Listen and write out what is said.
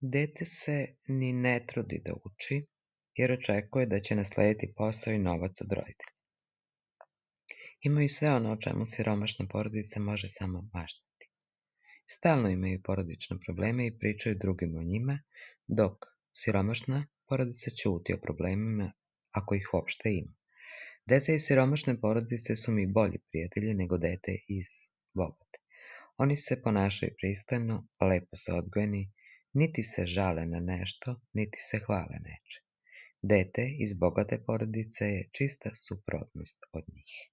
Dete se ni ne trudi da uči, jer očekuje da će naslediti posao i novac od roditelja. Imaju sve ono o čemu siromašna porodica može samo maštati. Stalno imaju porodične probleme i pričaju drugima o njima, dok siromašna porodica ćuti o problemima, ako ih uopšte ima. Deca iz siromašne porodice su mi bolji prijatelji nego dete iz bogate. Oni se ponašaju pristojno, lepo su odgojeni, niti se žale na nešto, niti se hvale nečim. Dete iz bogate porodice je čista suprotnost od njih.